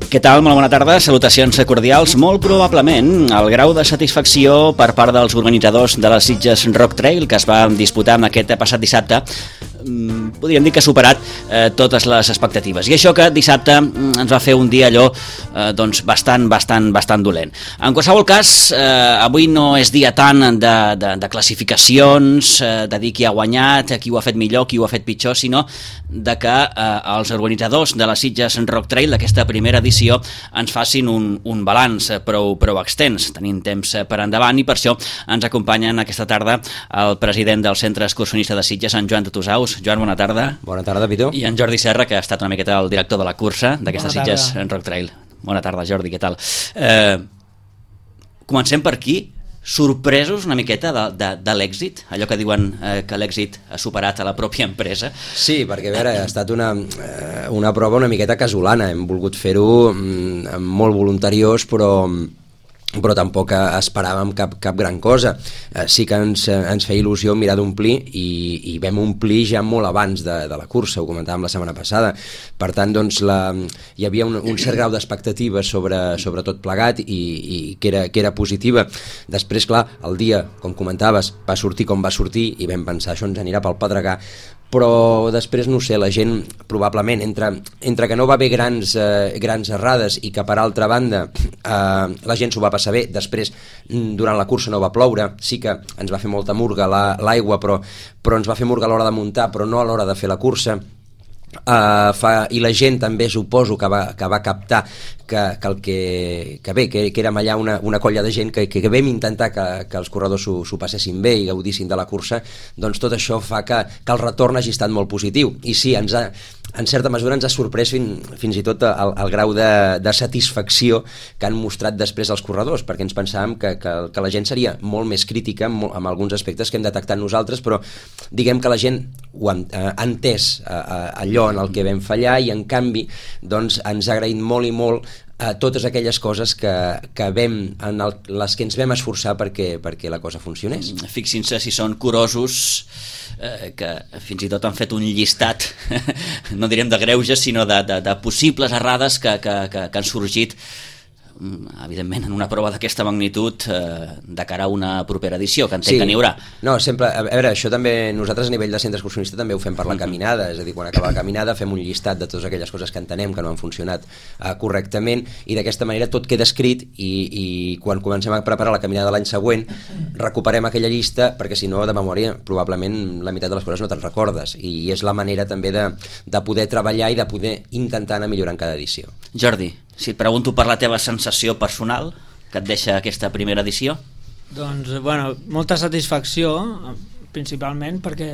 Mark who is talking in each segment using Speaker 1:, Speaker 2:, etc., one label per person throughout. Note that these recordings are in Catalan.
Speaker 1: Què tal? Molt bona tarda, salutacions cordials. Molt probablement el grau de satisfacció per part dels organitzadors de les Sitges Rock Trail que es va disputar aquest passat dissabte podríem dir que ha superat totes les expectatives. I això que dissabte ens va fer un dia allò bastant dolent. En qualsevol cas, avui no és dia tant de classificacions, de dir qui ha guanyat, qui ho ha fet millor, qui ho ha fet pitjor, sinó de que els organitzadors de les Sitges Rock Trail d'aquesta primera edició ens facin un balanç prou extens. Tenim temps per endavant i per això ens acompanyen aquesta tarda el president del Centre Excursionista de Sitges, en Joan Tutusaus. Joan, bona tarda.
Speaker 2: Bona tarda, Pitu.
Speaker 1: I en Jordi Serra, que ha estat una miqueta el director de la cursa d'aquesta Sitges Rock Trail. Bona tarda, Jordi, què tal? Comencem per aquí. Sorpresos una miqueta de l'èxit, allò que diuen que l'èxit ha superat a la pròpia empresa.
Speaker 2: Sí, perquè a veure, ha estat una prova una miqueta casolana. Hem volgut fer-ho molt voluntariós, però tampoc esperàvem cap gran cosa. Sí que ens feia il·lusió mirar d'omplir i vam omplir ja molt abans de la cursa, ho comentàvem la setmana passada. Per tant, doncs, hi havia un cert grau d'expectativa sobre tot plegat i que era positiva. Després, clar, el dia, com comentaves, va sortir com va sortir i vam pensar això ens anirà pel pedregar, però després, no sé, la gent probablement entre que no va haver grans errades i que per altra banda la gent s'ho va passar bé. Després, durant la cursa no va ploure, sí que ens va fer molta murga l'aigua, però ens va fer murga a l'hora de muntar, però no a l'hora de fer la cursa. I la gent també suposo que va captar que érem allà una colla de gent que vam intentar que els corredors s'ho passessin bé i gaudissin de la cursa. Doncs tot això fa que el retorn hagi estat molt positiu i sí, en certa mesura ens ha sorprès fins i tot el grau de satisfacció que han mostrat després els corredors, perquè ens pensàvem que la gent seria molt més crítica amb alguns aspectes que hem detectat nosaltres, però diguem que la gent ho ha entès allò en el que vam fallar i en canvi doncs, ens ha agraït molt i molt totes aquelles coses que en les que ens vam esforçar perquè la cosa funcionés.
Speaker 1: Fixin-se si són curosos que fins i tot han fet un llistat no direm de greuges sinó de possibles errades que han sorgit evidentment en una prova d'aquesta magnitud de cara a una propera edició, que entenc que n'hi haurà.
Speaker 2: No, sempre, a veure, això també nosaltres a nivell de centre excursionista també ho fem per la caminada, és a dir, quan acaba la caminada fem un llistat de totes aquelles coses que entenem que no han funcionat correctament i d'aquesta manera tot queda escrit i quan comencem a preparar la caminada de l'any següent recuperem aquella llista perquè si no de memòria probablement la meitat de les coses no te'n recordes i és la manera també de poder treballar i de poder intentar anar millorant cada edició.
Speaker 1: Jordi, si et pregunto per la teva sensació personal que et deixa aquesta primera edició?
Speaker 3: Doncs, bueno, molta satisfacció, principalment perquè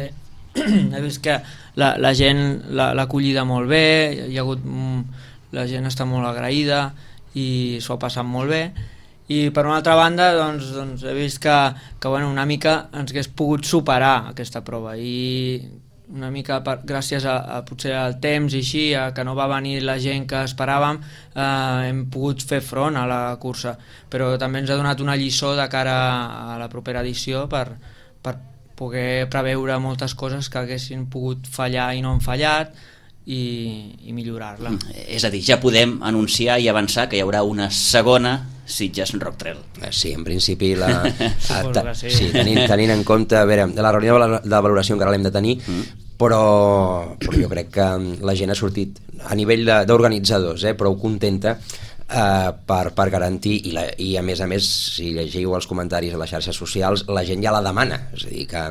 Speaker 3: he vist que la gent l'ha acollida molt bé, la gent està molt agraïda i s'ho ha passat molt bé. I per una altra banda doncs he vist que bueno, una mica ens hagués pogut superar aquesta prova i una mica gràcies a potser al temps i així, que no va venir la gent que esperàvem, hem pogut fer front a la cursa, però també ens ha donat una lliçó de cara a la propera edició per poder preveure moltes coses que haguessin pogut fallar i no han fallat i millorar-la.
Speaker 1: És a dir, ja podem anunciar i avançar que hi haurà una segona Sitges Rock Trail.
Speaker 2: Sí, en principi
Speaker 3: sí.
Speaker 2: tenint en compte, a veure, la reunió de valoració encara l'hem de tenir, però jo crec que la gent ha sortit a nivell d'organitzadors prou contenta per garantir i a més si llegiu els comentaris a les xarxes socials la gent ja la demana, és a dir que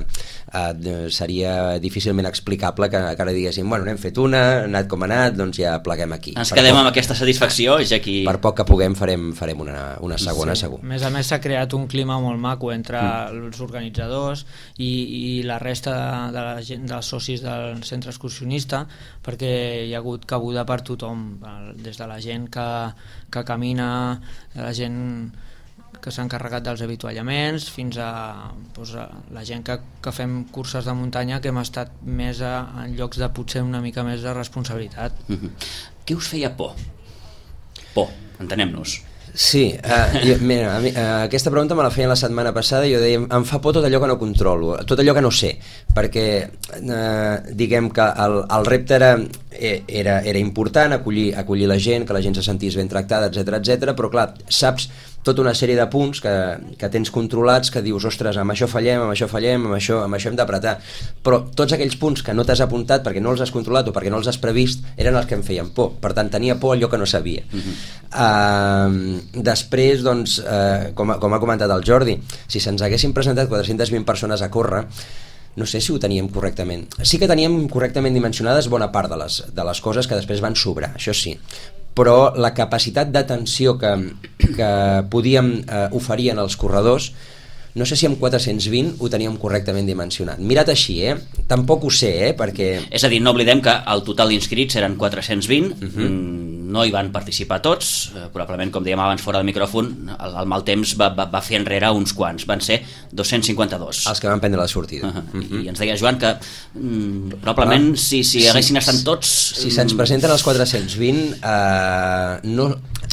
Speaker 2: seria difícilment explicable que ara diguéssim, bueno, n'hem fet una, ha anat com ha anat, doncs ja pleguem aquí.
Speaker 1: Ens quedem amb aquesta satisfacció, ja que...
Speaker 2: Per poc que puguem farem una segona,
Speaker 3: sí.
Speaker 2: Segur.
Speaker 3: A més s'ha creat un clima molt maco entre els organitzadors i la resta dels socis del centre excursionista, perquè hi ha hagut cabuda per tothom, des de la gent que camina, la gent que s'ha encarregat dels avituallaments fins a la gent que fem curses de muntanya que hem estat més en llocs de potser una mica més de responsabilitat.
Speaker 1: Què us feia por? Por, entenem-nos.
Speaker 2: Sí, mira, aquesta pregunta me la feien la setmana passada i jo deia, em fa por tot allò que no controlo, tot allò que no sé, perquè diguem que el repte era important, acollir la gent, que la gent se sentís ben tractada, etc, però clar, saps tota una sèrie de punts que tens controlats, que dius, ostres, amb això fallem, amb això hem d'apretar, però tots aquells punts que no t'has apuntat perquè no els has controlat o perquè no els has previst eren els que em feien por, per tant tenia por allò que no sabia. Després, doncs, com ha comentat el Jordi, si se'ns haguessin presentat 420 persones a córrer, no sé si ho teníem correctament. Sí que teníem correctament dimensionades bona part de les coses que després van sobrar, això sí, però la capacitat d'atenció que podíem oferir en els corredors, no sé si amb 420 ho teníem correctament dimensionat. Mirat així, tampoc ho sé, perquè...
Speaker 1: És a dir, no oblidem que el total d'inscrits eren 420, no hi van participar tots, probablement, com dèiem abans fora del micròfon, el mal temps va fer enrere uns quants, van ser 252.
Speaker 2: Els que van prendre la sortida.
Speaker 1: I ens deia Joan que probablement si haguessin estat tots...
Speaker 2: Si se'ns presenten els 420,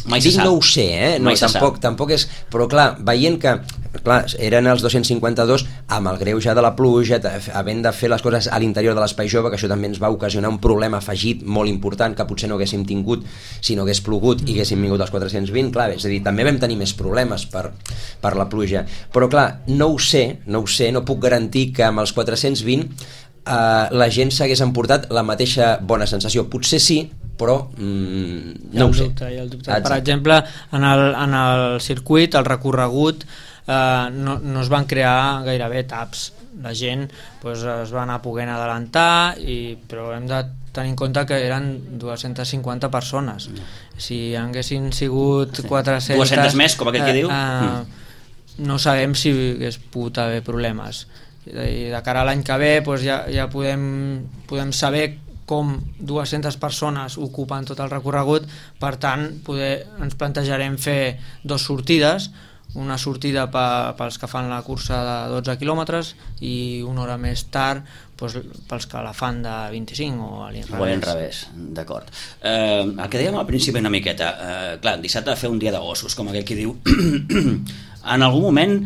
Speaker 1: mai se sap.
Speaker 2: No ho sé, no, tampoc és... Però clar, veient que eren els 252 amb el greuge de la pluja, havent de fer les coses a l'interior de l'espai jove, que això també ens va ocasionar un problema afegit molt important que potser no haguéssim tingut si no hagués plogut i haguéssim vingut als 420, clar, és a dir, també vam tenir més problemes per la pluja, però clar, no ho sé, no puc garantir que amb els 420 la gent s'hagués emportat la mateixa bona sensació, potser sí, però no ho sé.
Speaker 3: Per exemple, en el circuit, el recorregut, no es van crear gairebé taps, la gent es va anar poguent adelantar, però hem de tenir en compte que eren 250 persones. Si haguessin sigut 400...
Speaker 1: 200 més, com aquell que diu?
Speaker 3: No sabem si hagués pogut haver problemes. I de cara a l'any que ve ja podem saber com 200 persones ocupen tot el recorregut, per tant ens plantejarem fer 2 sortides, una sortida pels que fan la cursa de 12 quilòmetres i una hora més tard pels que la fan de 25 o a
Speaker 1: l'inrevés. D'acord. El que dèiem al principi una miqueta, clar, dissabte va fer un dia de gossos, com aquell que diu. En algun moment,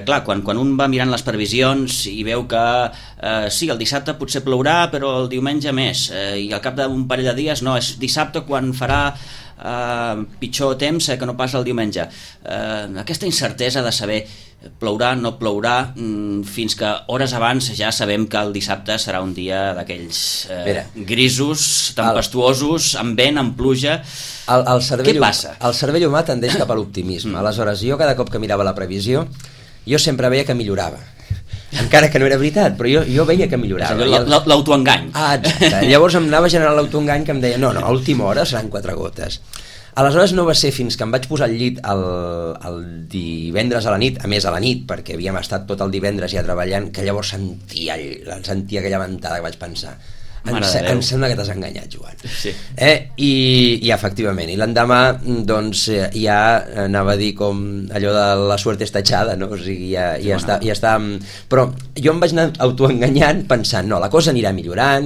Speaker 1: clar, quan un va mirant les previsions i veu que sí, el dissabte potser plourà, però el diumenge més, i al cap d'un parell de dies no, és dissabte quan farà pitjor temps que no pas el diumenge. Aquesta incertesa de saber plourà, no plourà, fins que hores abans ja sabem que el dissabte serà un dia d'aquells grisos, tempestuosos, amb vent, amb pluja. Què passa?
Speaker 2: El cervell humà tendeix cap a l'optimisme. Aleshores, jo cada cop que mirava la previsió, jo sempre veia que millorava. Encara que no era veritat, però jo veia que millorava.
Speaker 1: L'autoengany.
Speaker 2: Exacte. Llavors em anava generant l'autoengany que em deia no, a última hora seran 4 gotes. Aleshores no va ser fins que em vaig posar al llit el divendres a la nit, a més a la nit, perquè havíem estat tot el divendres ja treballant, que llavors sentia aquella ventada que vaig pensar em sembla que t'has enganyat, Joan.
Speaker 1: Sí.
Speaker 2: I efectivament, i l'endemà doncs ja anava a dir com allò de la suerte està echada, no? O sigui, ja està, però jo em vaig anar autoenganyant pensant, no, la cosa anirà millorant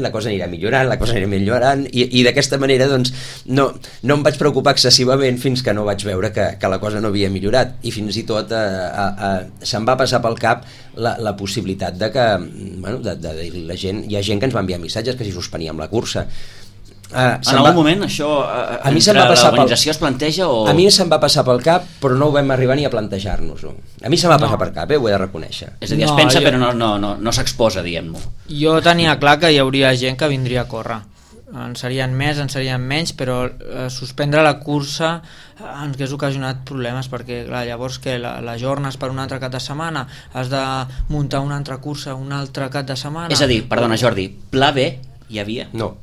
Speaker 2: i d'aquesta manera doncs no em vaig preocupar excessivament fins que no vaig veure que la cosa no havia millorat, i fins i tot se'm va passar pel cap la possibilitat de que la gent, hi ha gent que ens va enviar missatges que si suspeníem la cursa.
Speaker 1: En algun moment això entre l'organització es planteja o...
Speaker 2: A mi se'm va passar pel cap, però no ho vam arribar ni a plantejar-nos-ho. A mi se'm va passar per cap, ho he de reconèixer.
Speaker 1: És a dir, es pensa però no s'exposa, diguem-ho.
Speaker 3: Jo tenia clar que hi hauria gent que vindria a córrer. En serien més, en serien menys, però suspendre la cursa ens hauria ocasionat problemes, perquè clar, llavors que la jornes per un altre cap de setmana, has de muntar una altra cursa un altre cap de setmana.
Speaker 1: És a dir, perdona Jordi, pla B hi havia?
Speaker 2: No.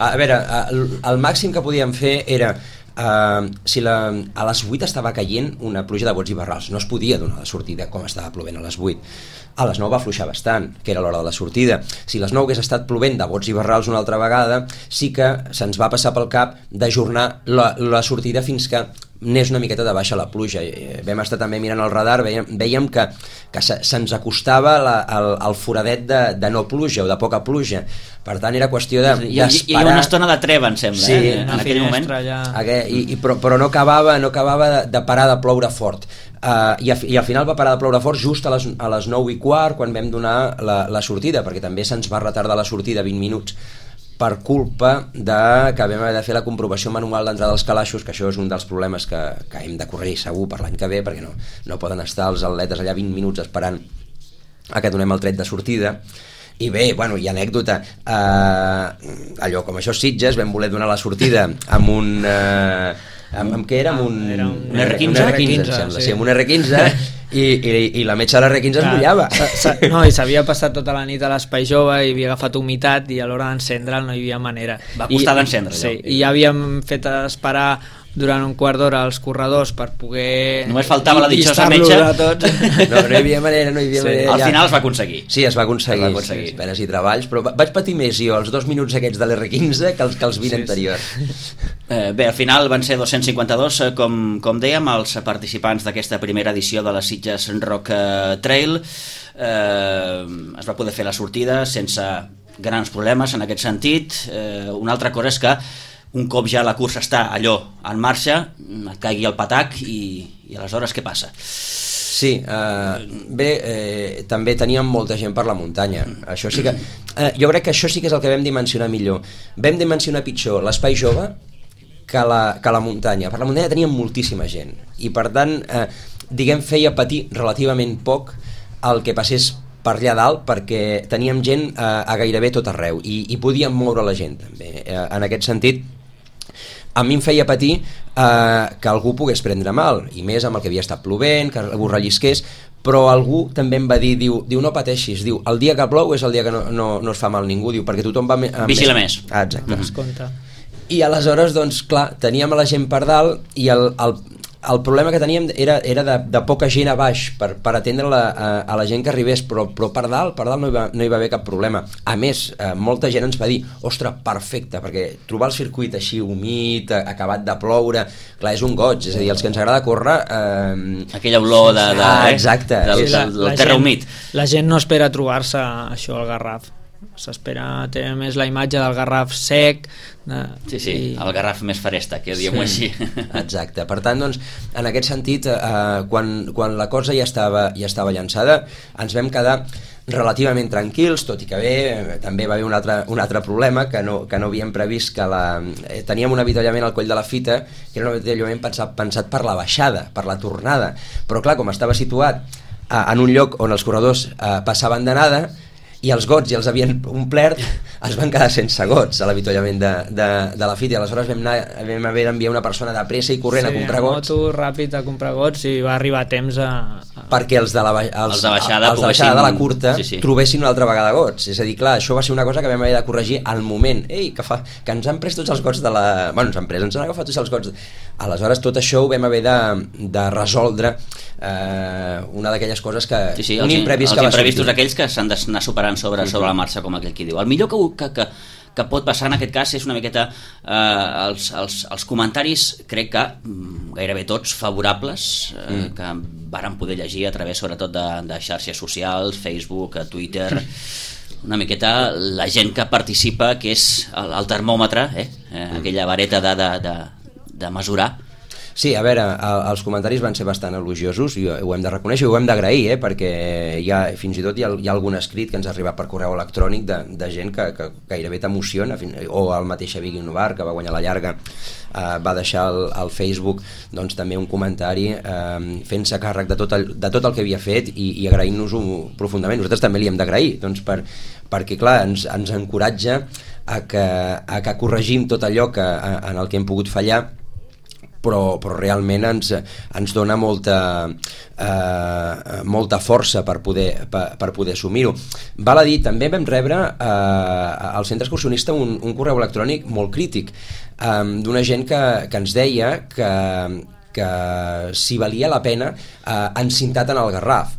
Speaker 2: A veure, el màxim que podíem fer era si a les 8 estava caient una pluja de bots i barrals, no es podia donar la sortida com estava plovent a les 8. a les 9 va afluixar bastant, que era l'hora de la sortida. Si les 9 hagués estat plovent de bots i barrals una altra vegada, sí que se'ns va passar pel cap d'ajornar la sortida fins que n'és una miqueta de baixa la pluja. Vam estar també mirant el radar, veiem que se'ns acostava el foradet de no pluja o de poca pluja. Per tant, era qüestió d'esperar.
Speaker 1: Hi ha una estona de treva, em sembla,
Speaker 2: sí,
Speaker 1: en aquell moment.
Speaker 2: Però no acabava de parar de ploure fort. I al final va parar de ploure fort just a les 9:15, quan vam donar la sortida, perquè també se'ns va retardar la sortida 20 minuts per culpa que vam haver de fer la comprovació manual d'entrada dels calaixos, que això és un dels problemes que hem de corregir segur per l'any que ve, perquè no poden estar els atletes allà 20 minuts esperant a que donem el tret de sortida. I bé, bueno, hi ha anècdota, allò com això Sitges, vam voler donar la sortida amb un amb què era? Amb un
Speaker 1: R15,
Speaker 2: em sembla, sí, amb un R15 i la metxa de l'R15 es mullava.
Speaker 3: No, i s'havia passat tota la nit a l'Espai Jove i havia agafat humitat i a l'hora d'encendre'l no hi havia manera.
Speaker 1: Va costar d'encendre.
Speaker 3: Sí, i ja havíem fet esperar durant un quart d'hora als corredors per poder...
Speaker 1: Només faltava la ditxosa metxa.
Speaker 2: No hi havia manera, manera.
Speaker 1: Al final es va aconseguir.
Speaker 2: Sí, es va aconseguir. Penes i treballs, però vaig patir més jo els 2 minuts aquests de l'R15 que els 20 anteriors.
Speaker 1: Bé, al final van ser 252, com dèiem, els participants d'aquesta primera edició de la Sitges Rock Trail. Es va poder fer la sortida sense grans problemes en aquest sentit. Una altra cosa és que un cop ja la cursa està allò en marxa, et caigui el patac i aleshores què passa?
Speaker 2: Sí, també teníem molta gent per la muntanya. Això sí que, jo crec que això sí que és el que vam dimensionar millor. Vam dimensionar pitjor l'Espai Jove que la muntanya. Per la muntanya teníem moltíssima gent i per tant, feia patir relativament poc el que passés per allà dalt, perquè teníem gent a gairebé tot arreu i podíem moure la gent també. En aquest sentit, a mi em feia patir que algú pogués prendre mal, i més amb el que havia estat plovent, que algú rellisqués, però algú també em va dir, diu no pateixis, diu, el dia que plou és el dia que no es fa mal ningú, diu, perquè tothom va...
Speaker 1: Vigila més.
Speaker 2: Exacte. I aleshores, doncs, clar, teníem a la gent per dalt i el problema que teníem era de poca gent a baix per atendre a la gent que arribés, però per dalt no hi va haver cap problema. A més, molta gent ens va dir, ostres, perfecte, perquè trobar el circuit així humit, acabat de ploure, clar, és un goig, és a dir, els que ens agrada córrer...
Speaker 1: Aquella olor
Speaker 2: exacte,
Speaker 1: del terra humit.
Speaker 3: La gent no espera trobar-se això al Garraf, s'espera tenir més la imatge del Garraf sec.
Speaker 1: El Garraf més faresta, que diguem-ho així.
Speaker 2: Exacte, per tant, doncs, en aquest sentit, quan la cosa ja estava llançada, ens vam quedar relativament tranquils, tot i que també va haver un altre problema que no havíem previst, que teníem un avituallament al Coll de la Fita, que era un avituallament pensat per la baixada, per la tornada, però clar, com estava situat en un lloc on els corredors passaven d'anada, i els gots ja els havien omplert, es van quedar sense gots a l'avituallament de la fita, i aleshores vam haver d'enviar una persona de pressa i corrent a comprar gots.
Speaker 3: Moto ràpid a comprar gots i va arribar a temps
Speaker 2: perquè els de baixada de la curta trobessin una altra vegada gots. És a dir, clar, això va ser una cosa que vam haver de corregir al moment. Ei, que ens han pres tots els gots ens han agafat tots els gots. Aleshores tot això ho vam haver de resoldre, una d'aquelles coses que...
Speaker 1: un imprevist que va sortir. Els imprevistos aquells que s'han d'anar superant sobre la marxa, com aquell qui diu. El millor que pot passar en aquest cas és una miqueta els comentaris, crec que gairebé tots favorables, que vàrem poder llegir a través sobretot de xarxes socials, Facebook, Twitter, una miqueta la gent que participa, que és el termòmetre, aquella vareta de mesurar.
Speaker 2: Sí, a veure, els comentaris van ser bastant elogiosos i ho hem de reconèixer i ho hem d'agrair, perquè fins i tot hi ha algun escrit que ens ha arribat per correu electrònic de gent que gairebé t'emociona, o el mateix Xavi Guinovar, que va guanyar la llarga, va deixar al Facebook doncs també un comentari fent-se càrrec de tot el que havia fet i agraint-nos-ho profundament. Nosaltres també li hem d'agrair, doncs, perquè clar, ens encoratja a que corregim tot allò en el que hem pogut fallar, però realment ens dona molta força per poder assumir-ho. Val a dir, també vam rebre al centre excursionista un correu electrònic molt crític d'una gent que ens deia que si valia la pena encintat en el Garraf.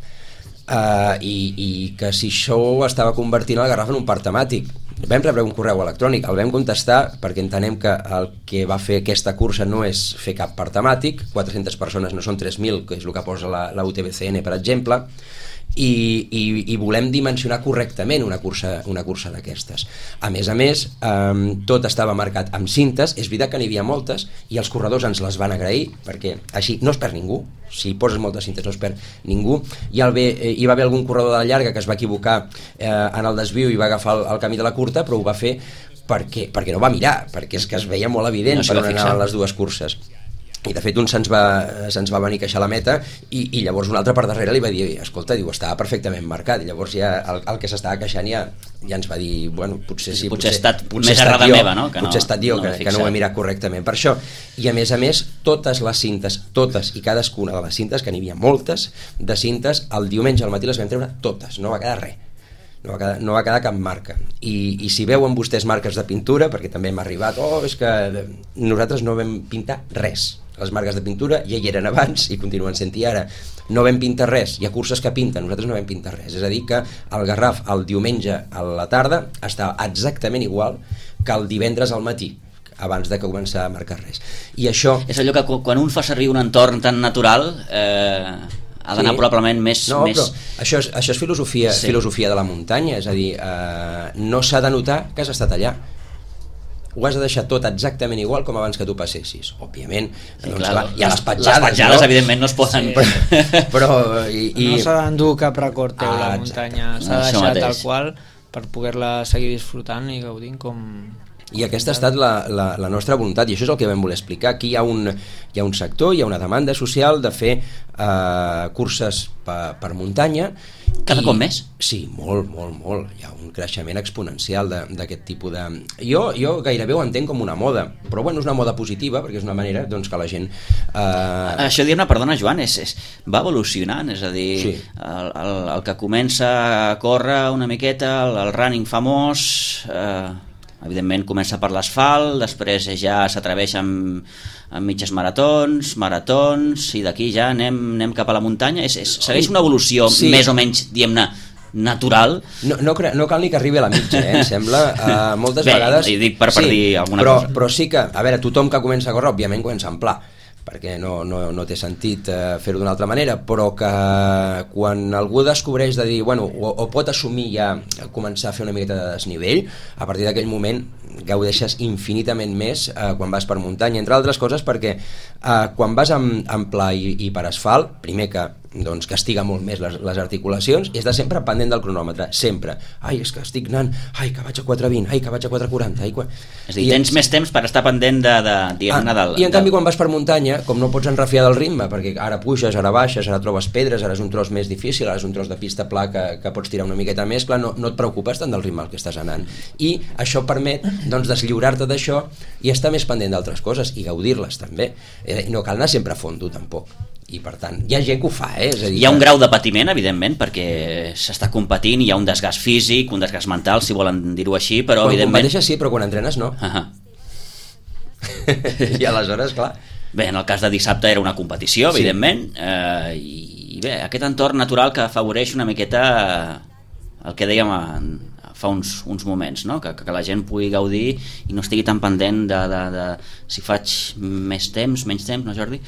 Speaker 2: i que si això estava convertint el Garraf en un parc temàtic. Vam rebre un correu electrònic, el vam contestar perquè entenem que el que va fer aquesta cursa no és fer cap parc temàtic, 400 persones no són 3.000, que és el que posa la UTBCN, per exemple, i volem dimensionar correctament una cursa d'aquestes. A més, tot estava marcat amb cintes, és veritat que n'hi havia moltes i els corredors ens les van agrair perquè així no es perd ningú, si poses moltes cintes no es perd ningú. Hi va haver algun corredor de la llarga que es va equivocar en el desviu i va agafar el camí de la curta, però ho va fer perquè no va mirar, perquè és que es veia molt evident per on anaven les dues curses. I de fet un se'ns va venir a queixar a la meta i llavors un altre per darrere li va dir, escolta, diu, estava perfectament marcat, i llavors ja el que s'estava queixant ja ens va dir, bueno, potser sí,
Speaker 1: potser ha estat més errada meva, no?
Speaker 2: Potser ha estat jo que no ho he mirat correctament per això. I a més totes les cintes, totes i cadascuna de les cintes, que n'hi havia moltes de cintes, el diumenge al matí les vam treure totes, no va quedar res. No va quedar cap marca i si veuen vostès marques de pintura, perquè també hem arribat, és que nosaltres no vam pintar res, les marques de pintura ja hi eren abans i continuen sent-hi ara, no vam pintar res, hi ha curses que pinten, nosaltres no vam pintar res, és a dir que el Garraf el diumenge a la tarda estava exactament igual que el divendres al matí, abans de que començar a marcar res. I això...
Speaker 1: És allò que quan un fa servir un entorn tan natural ha d'anar probablement més...
Speaker 2: No, però això és filosofia de la muntanya, és a dir, no s'ha de notar que has estat allà. Ho has de deixar tot exactament igual com abans que tu passessis. Òbviament,
Speaker 1: sí, clar,
Speaker 2: hi ha les petjades,
Speaker 1: no? Evidentment no es poden...
Speaker 3: Sí. Però no s'ha d'endur cap record teu la muntanya, s'ha de deixar tal qual per poder-la seguir disfrutant i gaudint com...
Speaker 2: I aquesta ha estat la nostra voluntat, i això és el que vam voler explicar. Aquí hi ha un sector, hi ha una demanda social de fer curses per muntanya.
Speaker 1: Cada cop més?
Speaker 2: Sí, molt. Hi ha un creixement exponencial d'aquest tipus de... Jo gairebé ho entenc com una moda, però bueno, és una moda positiva, perquè és una manera doncs, que la gent...
Speaker 1: Això dir-ne, perdona Joan, va evolucionant, és a dir, sí. el que comença a córrer una miqueta, el running famós... evidentment comença per l'asfalt, després ja s'atreveix amb mitges maratons, i d'aquí ja anem cap a la muntanya. Segueix una evolució més o menys, diguem-ne, natural.
Speaker 2: No cal ni que arribi a la mitja, em sembla. Moltes vegades...
Speaker 1: Bé, dic per dir alguna cosa.
Speaker 2: Però sí que, a veure, tothom que comença a córrer, òbviament comença en pla, perquè no té sentit fer-ho d'una altra manera, però que quan algú descobreix de dir, bueno, o pot assumir ja començar a fer una miqueta de desnivell, a partir d'aquell moment gaudeixes infinitament més quan vas per muntanya, entre altres coses perquè quan vas en pla i per asfalt, primer que castiga molt més les articulacions i has de sempre pendent del cronòmetre, sempre. És que estic anant, que vaig a 4:20, que vaig a 4:40.
Speaker 1: És a dir, tens més temps per estar pendent
Speaker 2: I en canvi quan vas per muntanya, com no pots enrafiar del ritme, perquè ara puges, ara baixes, ara trobes pedres, ara és un tros més difícil, ara és un tros de pista pla que pots tirar una miqueta més, clar, no et preocupes tant del ritme al que estàs anant. I això permet deslliurar-te d'això i estar més pendent d'altres coses i gaudir-les també. No cal anar sempre a fondo tampoc. I per tant, hi ha gent que ho fa, és a dir,
Speaker 1: hi ha un grau de patiment, evidentment, perquè s'està competint, hi ha un desgast físic, un desgast mental, si volen dir-ho així, però
Speaker 2: quan
Speaker 1: evidentment...
Speaker 2: competeixes sí, però quan entrenes no. I aleshores, clar...
Speaker 1: Bé, en el cas de dissabte era una competició, evidentment, i bé, aquest entorn natural que afavoreix una miqueta el que dèiem fa uns moments, no? Que la gent pugui gaudir i no estigui tan pendent de si faig més temps, menys temps, no Jordi?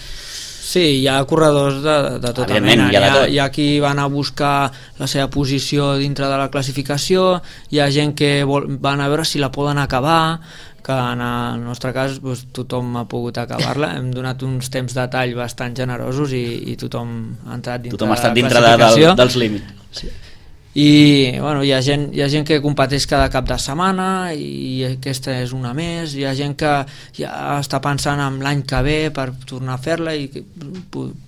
Speaker 3: Sí, hi ha corredors de tota mena. Hi ha qui van a buscar la seva posició dintre de la classificació, hi ha gent que van a veure si la poden acabar, que en el nostre cas tothom ha pogut acabar-la, hem donat uns temps de tall bastant generosos i tothom ha entrat dintre de la classificació.
Speaker 1: Dels límits.
Speaker 3: Sí. I bueno, hi ha gent que competeix cada cap de setmana i aquesta és una més, hi ha gent que ja està pensant en l'any que ve per tornar a fer-la i que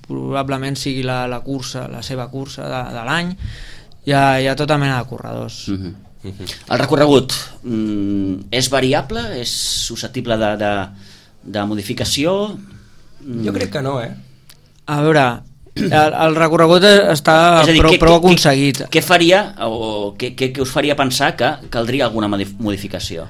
Speaker 3: probablement sigui la seva cursa de l'any. Hi ha tota mena de corredors.
Speaker 1: El recorregut és variable? És susceptible de modificació?
Speaker 3: Jo crec que no, a veure, el recorregut està prou aconseguit.
Speaker 1: Què faria o què us faria pensar que caldria alguna modificació?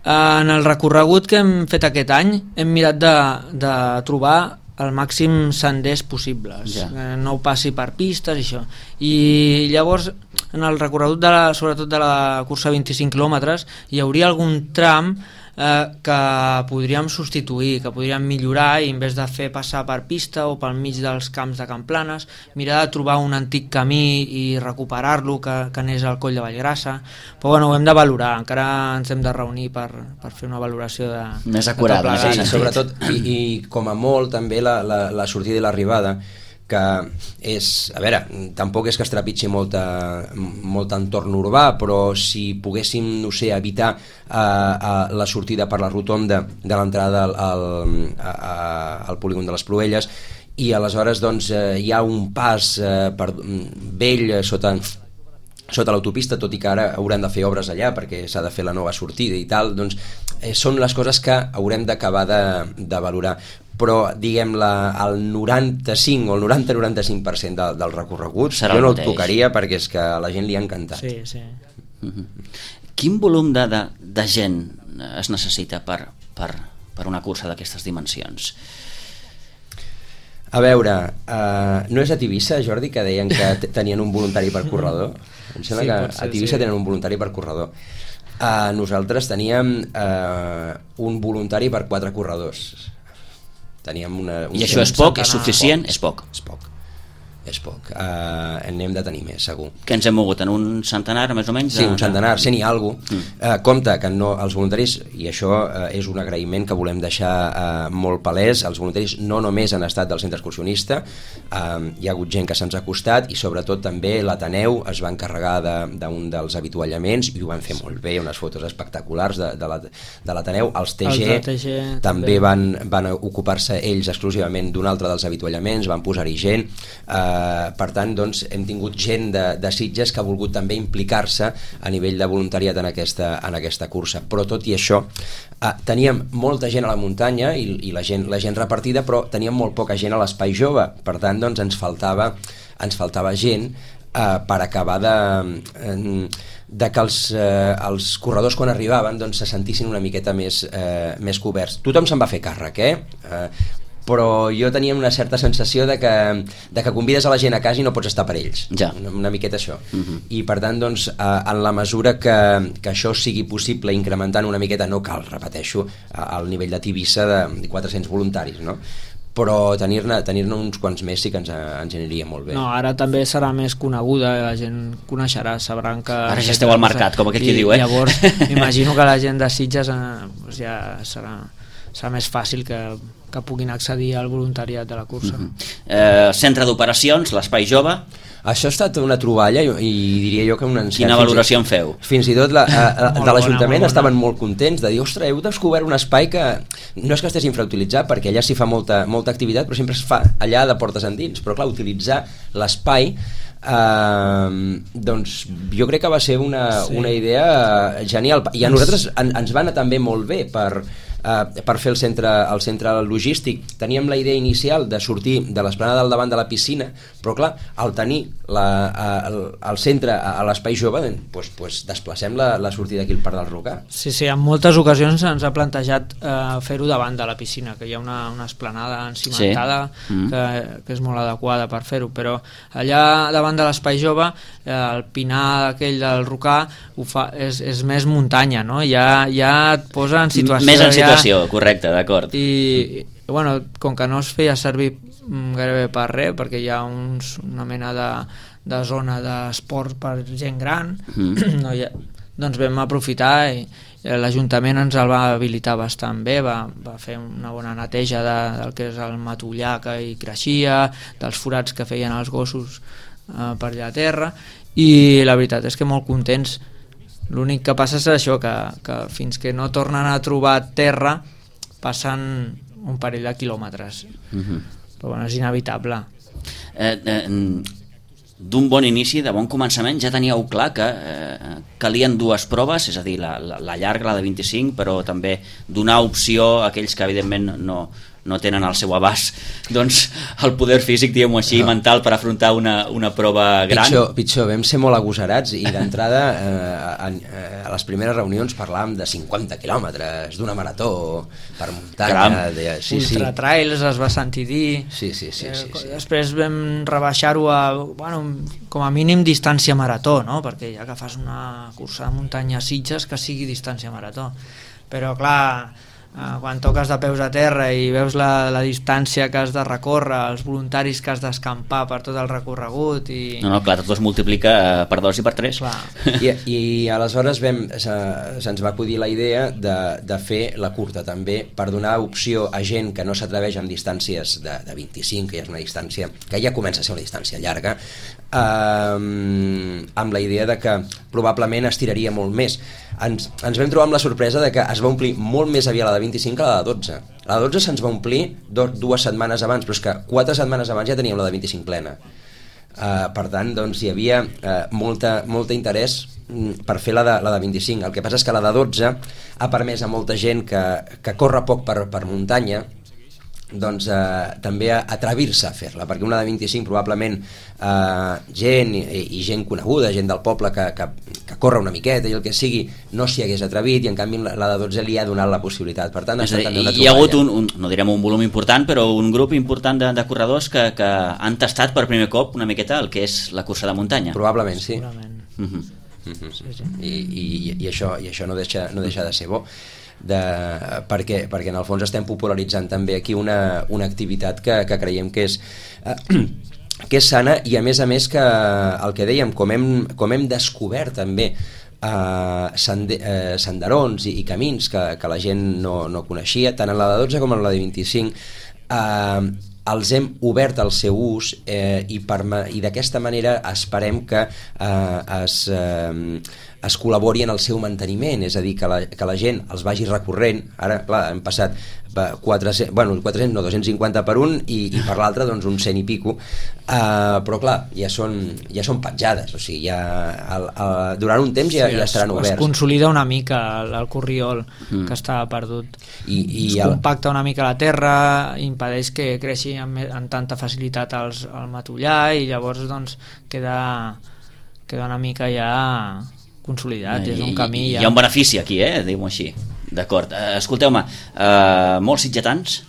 Speaker 3: En el recorregut que hem fet aquest any hem mirat de trobar el màxim senders possibles, no ho passi per pistes i això. I llavors en el recorregut sobretot de la cursa 25 quilòmetres hi hauria algun tram que podríem substituir, que podríem millorar, i en vez de fer passar per pista o pel mig dels camps de Camplanes, mirar de trobar un antic camí i recuperar-lo que anés al Coll de Vallgrassa. Però bueno, ho hem de valorar, encara ens hem de reunir per fer una valoració
Speaker 1: més acurada.
Speaker 2: Sí, sobretot, i com a molt també la sortida i l'arribada, que és, a veure, tampoc és que es trepitgi molt entorn urbà, però si poguéssim, no sé, evitar la sortida per la rotonda de l'entrada al polígon de les Pruelles, i aleshores doncs hi ha un pas vell sota l'autopista, tot i que ara haurem de fer obres allà perquè s'ha de fer la nova sortida i tal, doncs són les coses que haurem d'acabar de valorar. Però diguem el 95 o el 90-95% del recorregut jo no el tocaria, perquè és que a la gent li ha encantat.
Speaker 3: Sí.
Speaker 1: Quin volum de gent es necessita per una cursa d'aquestes dimensions?
Speaker 2: A veure, no és a Tivissa, Jordi, que deien que tenien un voluntari per corredor? Em sembla que a Tivissa tenen un voluntari per corredor. Nosaltres teníem un voluntari per 4 corredors.
Speaker 1: I això és poc? És suficient? És poc.
Speaker 2: És poc. N'hem de tenir més, segur.
Speaker 1: Que ens hem mogut en un centenar, més o menys?
Speaker 2: Sí, un centenar, 100 i alguna cosa. Compte que els voluntaris, i això és un agraïment que volem deixar molt palès, els voluntaris no només han estat del centre excursionista, hi ha hagut gent que se'ns ha acostat, i sobretot també l'Ateneu es va encarregar d'un dels avituallaments i ho van fer molt bé, unes fotos espectaculars de l'Ateneu. Els TG també van ocupar-se ells exclusivament d'un altre dels avituallaments, van posar-hi gent. Per tant, doncs, hem tingut gent de Sitges que ha volgut també implicar-se a nivell de voluntariat en aquesta cursa, però tot i això teníem molta gent a la muntanya i la gent repartida, però teníem molt poca gent a l'espai jove. Per tant, doncs, ens faltava gent per acabar de que els corredors quan arribaven doncs, se sentissin una miqueta més coberts. Tothom se'n va fer càrrec, però jo tenia una certa sensació de que convides a la gent a casa i no pots estar per ells, una miqueta això. I per tant, doncs, en la mesura que això sigui possible, incrementant una miqueta, no cal, repeteixo, al nivell de Tivissa de 400 voluntaris, no? Però tenir-ne uns quants més sí que ens aniria molt bé.
Speaker 3: No, ara també serà més coneguda, la gent coneixerà, sabran que...
Speaker 1: Ara ja esteu al mercat, com aquell qui diu,
Speaker 3: Llavors, m'imagino que la gent de Sitges ja serà més fàcil que puguin accedir al voluntariat de la cursa.
Speaker 1: Centre d'operacions, l'Espai Jove.
Speaker 2: Això ha estat una troballa i diria jo que un encert.
Speaker 1: Quina valoració en feu?
Speaker 2: Fins i tot de l'Ajuntament estaven molt contents de dir, ostres, heu descobert un espai que no és que estés infrautilitzat, perquè allà s'hi fa molta activitat, però sempre es fa allà de portes endins. Però clar, utilitzar l'espai doncs jo crec que va ser una idea genial, i a nosaltres ens va anar també molt bé per fer el centre logístic. Teníem la idea inicial de sortir de l'esplanada del davant de la piscina, però clar, al tenir el centre a l'espai jove, doncs desplacem la sortida aquí al Parc del Rocà.
Speaker 3: Sí, en moltes ocasions ens ha plantejat fer-ho davant de la piscina, que hi ha una esplanada encimentada que és molt adequada per fer-ho, però allà davant de l'espai jove el pinar aquell del Rocà és més muntanya, no? Ja et posa en situació...
Speaker 1: Més en situació, correcte, d'acord.
Speaker 3: I bueno, com que no es feia servir gairebé per res, perquè hi ha una mena de zona d'esport per gent gran, doncs vam aprofitar i l'Ajuntament ens el va habilitar bastant bé, va fer una bona neteja del que és el matollar que hi creixia, dels forats que feien els gossos per allà a terra, i la veritat és que molt contents. L'únic que passa és això, que fins que no tornen a trobar terra passen un parell de quilòmetres, però bueno, és inevitable.
Speaker 1: D'un bon inici, de bon començament, ja teníeu clar que calien dues proves, és a dir, la llarga, la de 25, però també donar opció a aquells que evidentment no no tenen al seu abast doncs, el poder físic, diguem-ho així, mental per afrontar una prova gran.
Speaker 2: Pitjor, vam ser molt agosarats i d'entrada a les primeres reunions parlàvem de 50 quilòmetres d'una marató per muntanya.
Speaker 3: Ultratrails es va sentir dir.
Speaker 2: Sí.
Speaker 3: Després vam rebaixar-ho a, com a mínim distància marató, no? Perquè ja que fas una cursa de muntanya a Sitges, que sigui distància marató. Però clar, quan toques de peus a terra i veus la distància que has de recórrer, els voluntaris que has d'escampar per tot el recorregut i...
Speaker 1: No, clar, tot es multiplica per 2 i per 3.
Speaker 2: I aleshores se'ns va acudir la idea de fer la curta també, per donar opció a gent que no s'atreveix amb distàncies de 25, que ja és una distància que ja comença a ser una distància llarga, amb la idea de que probablement es tiraria molt més. Ens vam trobar amb la sorpresa de que es va omplir molt més aviat la de 25 que la de 12. La de 12 se'ns va omplir 2 setmanes abans, però és que 4 setmanes abans ja teníem la de 25 plena. Per tant, doncs, hi havia molt interès per fer la de 25. El que passa és que la de 12 ha permès a molta gent que corre poc per muntanya doncs també atrevir-se a fer-la, perquè una de 25 probablement gent i gent coneguda, gent del poble que corre una miqueta i el que sigui no s'hi hagués atrevit, i en canvi la de 12 li ha donat la possibilitat. Per tant,
Speaker 1: hi ha hagut no direm un volum important, però un grup important de corredors que han tastat per primer cop una miqueta el que és la cursa de muntanya.
Speaker 2: Probablement, sí.
Speaker 3: Sí.
Speaker 2: I això no deixa de ser bo, perquè en el fons estem popularitzant també aquí una activitat que creiem que és sana, i a més que el que dèiem, com hem descobert també senderons i camins que la gent no coneixia, tant en la de 12 com en la de 25, els hem obert al seu ús, i d'aquesta manera esperem que es col·labori en el seu manteniment, és a dir, que la gent els vagi recorrent. Ara, clar, hem passat 250 per un i per l'altre doncs uns 100 i pico, però clar, ja són petjades, o sigui, durant un temps ja estaran oberts.
Speaker 3: Es consolida una mica el corriol que estava perdut, es compacta una mica la terra, impedeix que creixi amb tanta facilitat el matollar, i llavors doncs queda una mica ja consolidat, és un camí ja...
Speaker 1: Hi ha un benefici aquí, diguem-ho així. D'acord. Escolteu-me, molts sitgetans?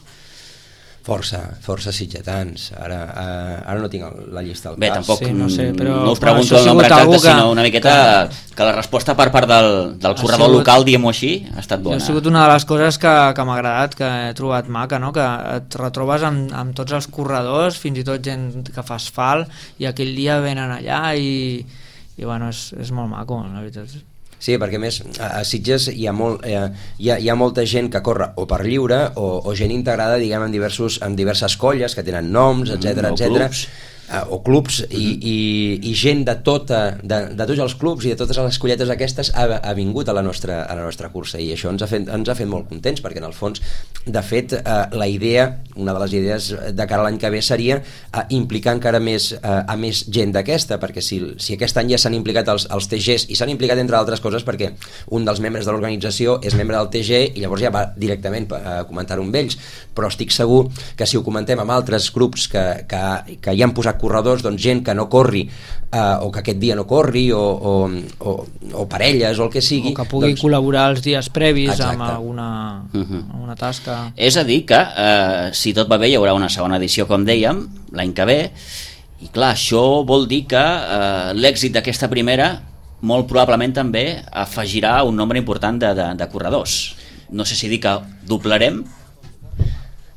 Speaker 2: Força sitgetans. Ara no tinc la llista al cap.
Speaker 1: Bé, tampoc
Speaker 3: no sé, però
Speaker 1: no us pregunto el nombre exacte, sinó una miqueta que la resposta per part del corredor local, diguem-ho així, ha estat bona.
Speaker 3: Ha sigut una de les coses que m'ha agradat, que he trobat maca, no? Que et retrobes amb tots els corredors, fins i tot gent que fa asfalt, i aquell dia venen allà i bueno, és molt maco, la veritat.
Speaker 2: Sí, perquè a més a Sitges hi ha molta gent que corre o per lliure o gent integrada, diguem, en diverses colles que tenen noms, etc. O clubs, i gent de tots els clubs i de totes les colletes aquestes ha vingut a la nostra cursa, i això ens ha fet molt contents, perquè en el fons, de fet, la idea, una de les idees de cara a l'any que ve seria implicar encara més a més gent d'aquesta, perquè si aquest any ja s'han implicat els TGs, i s'han implicat entre altres coses perquè un dels membres de l'organització és membre del TG i llavors ja va directament a comentar-ho amb ells, però estic segur que si ho comentem amb altres grups que hi han posat corredors, doncs gent que no corri o que aquest dia no corri o parelles o el que sigui,
Speaker 3: o que pugui col·laborar els dies previs amb alguna tasca.
Speaker 1: És a dir que si tot va bé hi haurà una segona edició, com dèiem, l'any que ve, i clar, això vol dir que l'èxit d'aquesta primera molt probablement també afegirà un nombre important de corredors. No sé si dir que doblarem.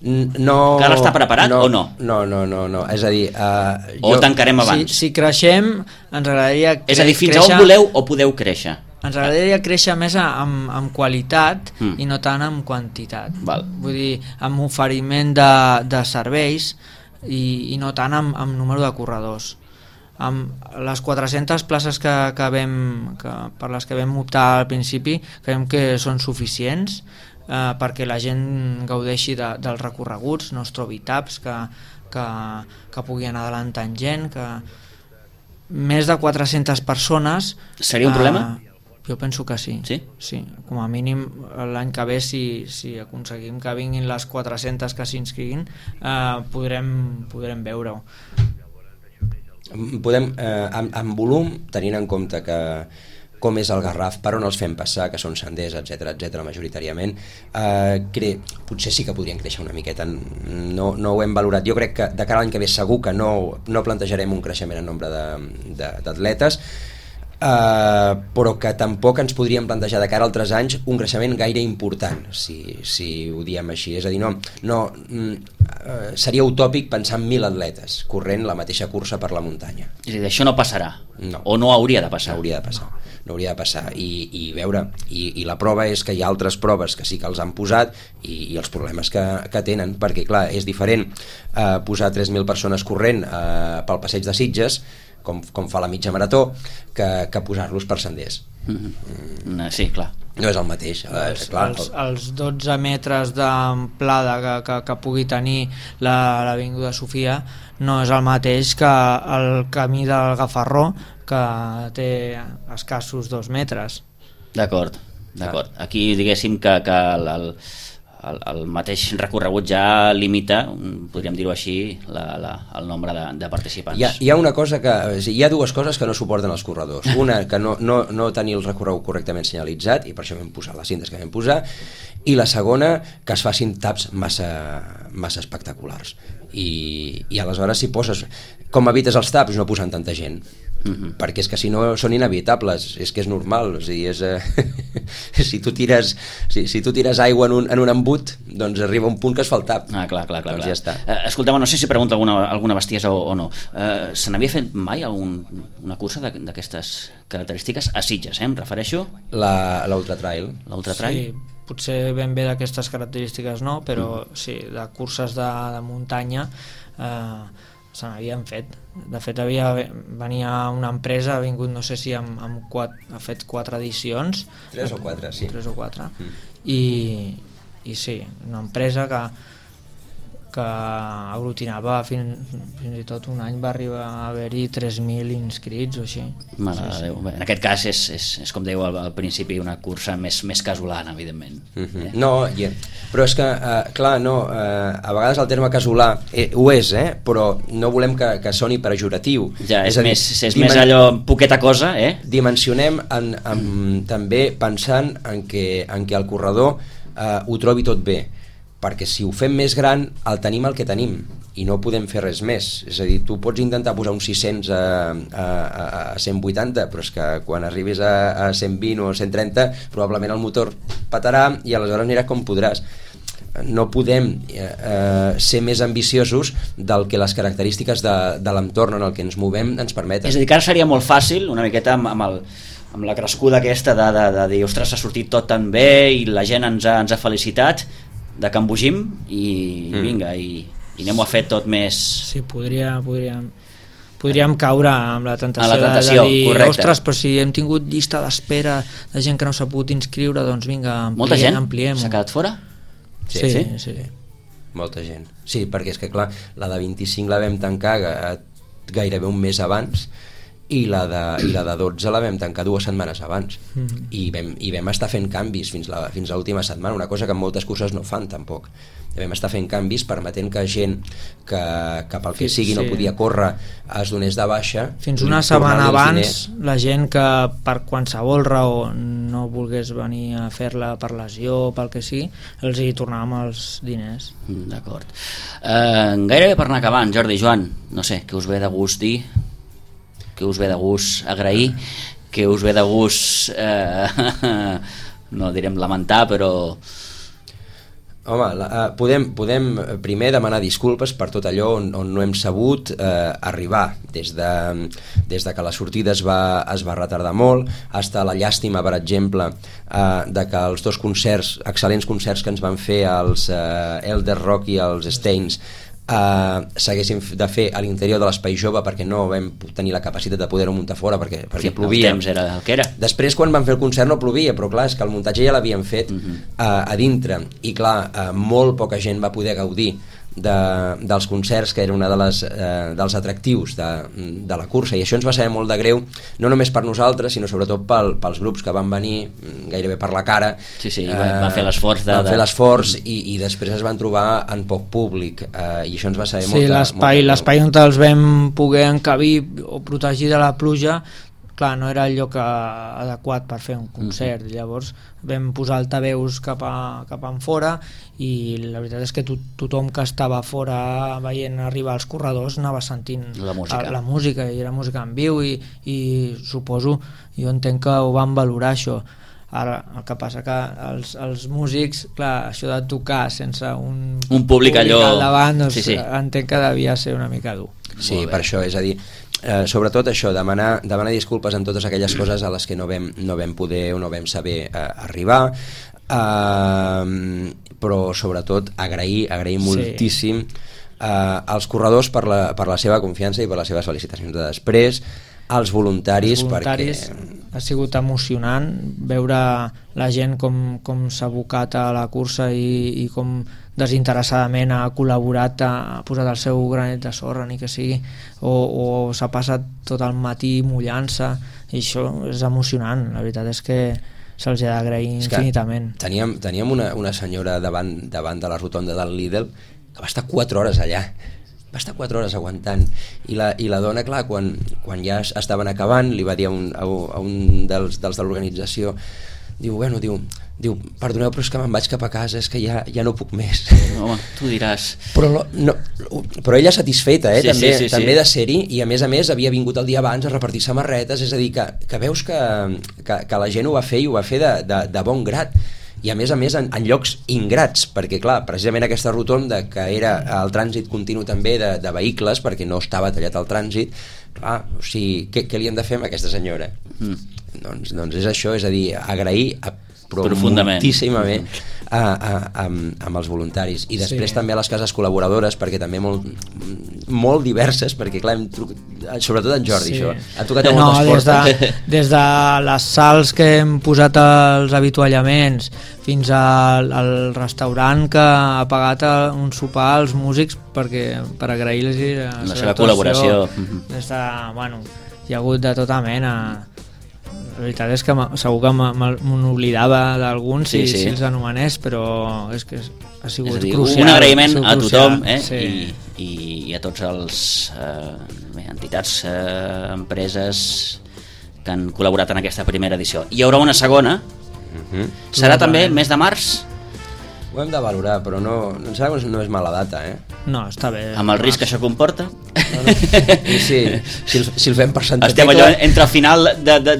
Speaker 2: No,
Speaker 1: que ara està preparat o no?
Speaker 2: No, és a dir...
Speaker 1: o tancarem abans?
Speaker 3: Si creixem, ens agradaria...
Speaker 1: És a dir, fins a on voleu o podeu créixer?
Speaker 3: Ens agradaria créixer més amb qualitat i no tant amb quantitat.
Speaker 1: Val.
Speaker 3: Vull dir, amb oferiment de serveis i no tant amb número de corredors. Amb les 400 places per les que vam optar al principi, creiem que són suficients, perquè la gent gaudeixi dels recorreguts, no es trobi taps, que pugui anar adelantant gent, que més de 400 persones...
Speaker 1: Seria un problema?
Speaker 3: Jo penso que sí.
Speaker 1: Sí?
Speaker 3: Sí, com a mínim l'any que ve, si aconseguim que vinguin les 400 que s'inscriguin, podrem veure-ho.
Speaker 2: Podem, en volum, tenint en compte que com és el Garraf, per on els fem passar, que són senders, etc majoritàriament, potser sí que podrien créixer una miqueta. No ho hem valorat. Jo crec que de cara a l'any que ve segur que no plantejarem un creixement en nombre d'atletes, però que tampoc ens podríem plantejar de cara a altres anys un creixement gaire important, si ho diem així. És a dir, seria utòpic pensar en 1.000 atletes corrent la mateixa cursa per la muntanya.
Speaker 1: És a dir, això no passarà?
Speaker 2: No.
Speaker 1: O no hauria de passar?
Speaker 2: No hauria de passar. I veure, i la prova és que hi ha altres proves que sí que els han posat i els problemes que tenen, perquè clar, és diferent posar 3.000 persones corrent pel passeig de Sitges, com fa la mitja marató, que posar-los per senders.
Speaker 1: Sí, clar.
Speaker 2: No és el mateix.
Speaker 3: Els 12 metres d'amplada que pugui tenir l'Avinguda Sofia no és el mateix que el camí del Gafarró, que té escassos 2 metres.
Speaker 1: D'acord. Aquí diguéssim que el mateix recorregut ja limita, podríem dir-ho així, el nombre de participants.
Speaker 2: Hi ha una cosa hi ha dues coses que no suporten els corredors. Una, que no tenir el recorregut correctament senyalitzat, i per això vam posar les cintes que vam posar, i la segona, que es facin taps massa espectaculars. I aleshores si poses, com evites els taps? No posant tanta gent. Perquè és que si no són inevitables, és que és normal, o sigui, si tu tires aigua en un embut, doncs arriba un punt que es fa el tap.
Speaker 1: Clar.
Speaker 2: Doncs ja està.
Speaker 1: Escolteu, no sé si pregunta alguna bestiesa o no. Se n'havia fet mai una cursa d'aquestes característiques a Sitges, em refereixo?
Speaker 2: L'Ultra Trail.
Speaker 3: Sí, potser ben bé d'aquestes característiques no, però sí, de curses de muntanya se n'havien fet. De fet, venia una empresa, ha vingut, no sé si ha fet 4 edicions.
Speaker 2: 3 o 4, sí.
Speaker 3: 3 o 4. I sí, una empresa que aglutinava fins i tot un any va arribar a haver-hi 3.000 inscrits o així.
Speaker 1: Mare de Déu. En aquest cas és com dèieu al principi, una cursa més casolana, evidentment.
Speaker 2: No, però és que, clar, a vegades el terme casolà ho és, però no volem que soni pejoratiu.
Speaker 1: Ja, és més allò poqueta cosa,
Speaker 2: Dimensionem també pensant en que el corredor ho trobi tot bé, perquè si ho fem més gran el tenim el que tenim i no podem fer res més. És a dir, tu pots intentar posar un 600 a 180, però és que quan arribis a 120 o 130 probablement el motor petarà i aleshores aniràs com podràs. No podem ser més ambiciosos del que les característiques de l'entorn en el que ens movem ens permeten.
Speaker 1: És a dir, que ara seria molt fàcil, una miqueta amb la crescuda aquesta de dir, ostres, s'ha sortit tot tan bé i la gent ens ha felicitat, de que embogim i vinga, i anem-ho a fer tot més...
Speaker 3: Sí, podríem caure amb la tentació de dir,
Speaker 1: correcte.
Speaker 3: Ostres, però si hem tingut llista d'espera de gent que no s'ha pogut inscriure, doncs vinga,
Speaker 1: molta gent
Speaker 3: ampliem-ho.
Speaker 1: S'ha quedat fora?
Speaker 3: Sí.
Speaker 2: Molta gent. Sí, perquè és que clar, la de 25 la vam tancar gairebé un mes abans i la de 12 la vam tancar 2 setmanes abans i vam estar fent canvis fins a l'última setmana, una cosa que en moltes curses no fan tampoc. Vam estar fent canvis permetent que gent que pel que sigui no podia córrer es donés de baixa.
Speaker 3: Fins una setmana abans la gent que per qualsevol raó no volgués venir a fer-la per lesió o pel que sigui, els hi tornàvem els diners.
Speaker 1: D'acord. Gairebé per anar acabant, Jordi, Joan, no sé, què us ve de gust dir? Què us ve de gust agrair? Què us ve de gust no direm lamentar, però...
Speaker 2: Home, podem primer demanar disculpes per tot allò on no hem sabut arribar, des de que la sortida es va retardar molt, fins a la llàstima, per exemple, de que els 2 concerts, excel·lents concerts que ens van fer els Elder Rock i els Stains, s'haguessin de fer a l'interior de l'Espai Jove perquè no vam tenir la capacitat de poder-ho muntar fora perquè plovia.
Speaker 1: El temps era el que era.
Speaker 2: Després, quan vam fer el concert, no plovia, però clar, és que el muntatge ja l'havíem fet a dintre i clar, molt poca gent va poder gaudir dels concerts, que era una dels atractius de la cursa, i això ens va saber molt de greu, no només per nosaltres, sinó sobretot pels grups que van venir gairebé per la cara.
Speaker 1: Sí, van fer l'esforç.
Speaker 2: Van fer l'esforç i després es van trobar en poc públic, i això ens va saber molt.
Speaker 3: Sí, l'espai on els vam poder encabir o protegir de la pluja, clar, no era el lloc adequat per fer un concert. Llavors vam posar altaveus cap en fora, i la veritat és que tothom que estava fora veient arribar els corredors anava sentint la música, i era música en viu, i suposo, jo entenc que ho van valorar, això. Ara, el que passa que els músics, clar, això de tocar sense un
Speaker 1: públic allò
Speaker 3: al davant, doncs, entenc que devia ser una mica dur.
Speaker 2: Sí, per això, és a dir, sobretot això, demanar disculpes en totes aquelles coses a les que no vam poder o no vam saber arribar, però sobretot agrair moltíssim als corredors per la seva confiança i per les seves felicitacions de després, als voluntaris, perquè
Speaker 3: ha sigut emocionant veure la gent com s'ha abocat a la cursa i com desinteressadament ha col·laborat, ha posat el seu granet de sorra, ni que sigui, o s'ha passat tot el matí mullant-se, i això és emocionant. La veritat és que se'ls ha d'agrair infinitament.
Speaker 2: Teníem una senyora davant de la rotonda del Lidl que va estar 4 hores allà, va estar 4 hores aguantant, i la dona, clar, quan ja estaven acabant, li va dir a un dels de l'organització, diu, perdoneu, però és que me'n vaig cap a casa, és que ja no puc més.
Speaker 1: Home, tu diràs.
Speaker 2: Però ella satisfeta, també de ser-hi, i a més havia vingut el dia abans a repartir samarretes, és a dir, que veus que la gent ho va fer, i ho va fer de bon grat, i a més en llocs ingrats, perquè clar, precisament aquesta rotonda, que era el trànsit continu també de vehicles, perquè no estava tallat el trànsit, clar, o sigui, què li hem de fer amb aquesta senyora? Doncs és això, és a dir, agrair moltíssimament amb els voluntaris, i després també a les cases col·laboradores, perquè també molt diverses, perquè clar, sobretot en Jordi, això ha tocat a moltes portes,
Speaker 3: des de les sals que hem posat als avituallaments fins al restaurant que ha pagat un sopar als músics per agrair-los
Speaker 1: la seva col·laboració.
Speaker 3: Hi ha hagut de tota mena. La veritat és que segur que m'oblidava d'alguns si els anomenés, però és que ha sigut crucial.
Speaker 1: Un agraïment a tothom, i a tots els entitats, empreses que han col·laborat en aquesta primera edició. Hi haurà una segona, serà també el mes de març?
Speaker 2: Ho hem de valorar, però no és mala data,
Speaker 3: No, està bé.
Speaker 1: Amb el risc que això comporta?
Speaker 2: Si el fem per Santa
Speaker 1: Tecla... Estem allò entre el final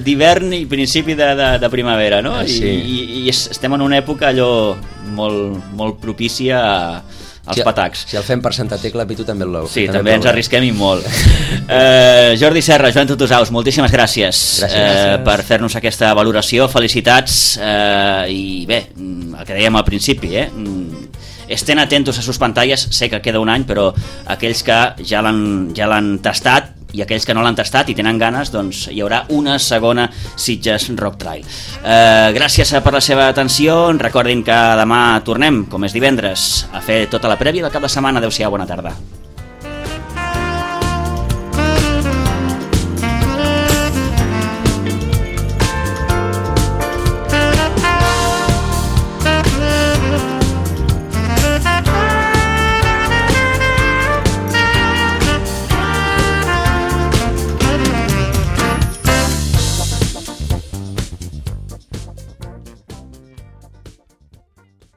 Speaker 1: d'hivern i principi de primavera, no? I estem en una època allò molt propícia als patacs.
Speaker 2: Si el fem per Santa Tecla, Pitu també el lou.
Speaker 1: Sí, també ens arrisquem i molt. Jordi Serra, Joan Tutusaus, moltíssimes gràcies per fer-nos aquesta valoració, felicitats, i bé, el que dèiem al principi, estén atentos a sus pantalles, sé que queda un any, però aquells que ja l'han tastat i aquells que no l'han tastat i tenen ganes, doncs hi haurà una segona Sitges Rock Trail. Gràcies per la seva atenció, recordin que demà tornem, com és divendres, a fer tota la prèvia del cap de setmana. Adéu-siau, bona tarda.